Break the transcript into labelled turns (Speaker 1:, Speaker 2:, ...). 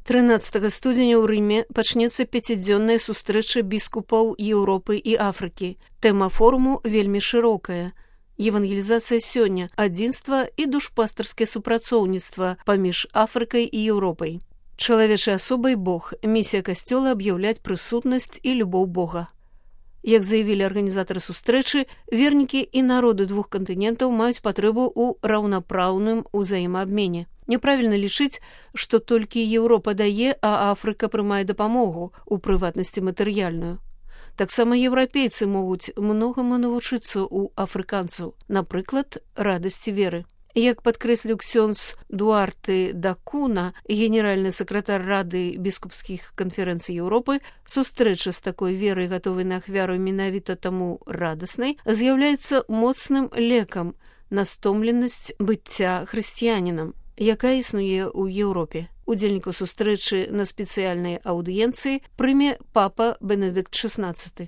Speaker 1: 13 студзеня ў Рыме пачнецца 5-дзённая сустрэча біскупаў Еўропы і Афрыкі. Тэма форуму вельмі шырокая. Евангелізацыя сёння, адзінства і душпастарскае супрацоўніцтва паміж Афрыкай і Еўропай. Чалавечай асобай Бог, місія касцёла аб'яўляць прысутнасць і любоў Бога. Як заявілі арганізатары сустрэчы, вернікі і народы двух кантынентаў маюць патрэбу ў раўнапраўным узаемаабмене. Няправільна лічыць, што толькі Еўропа дае, а Афрыка прымае дапамогу, у прыватнасці матэрыяльную. Таксама еўрапейцы могуць многаму навучыцца ў афрыканцаў, напрыклад, радасці веры. Як падкрэсліў ксёндз Дуарте да Куна, генеральны сакратар Рады біскупскіх канферэнцый Еўропы, сустрэча з такой верай, гатовай на ахвяру менавіта таму радаснай, з'яўляецца моцным лекам на стомленасць быцця хрысціянінам, якая існуе ў Еўропе. Удзельнікаў сустрэчы на спецыяльнай аўдыенцыі прыме папа Бенедыкт XVI.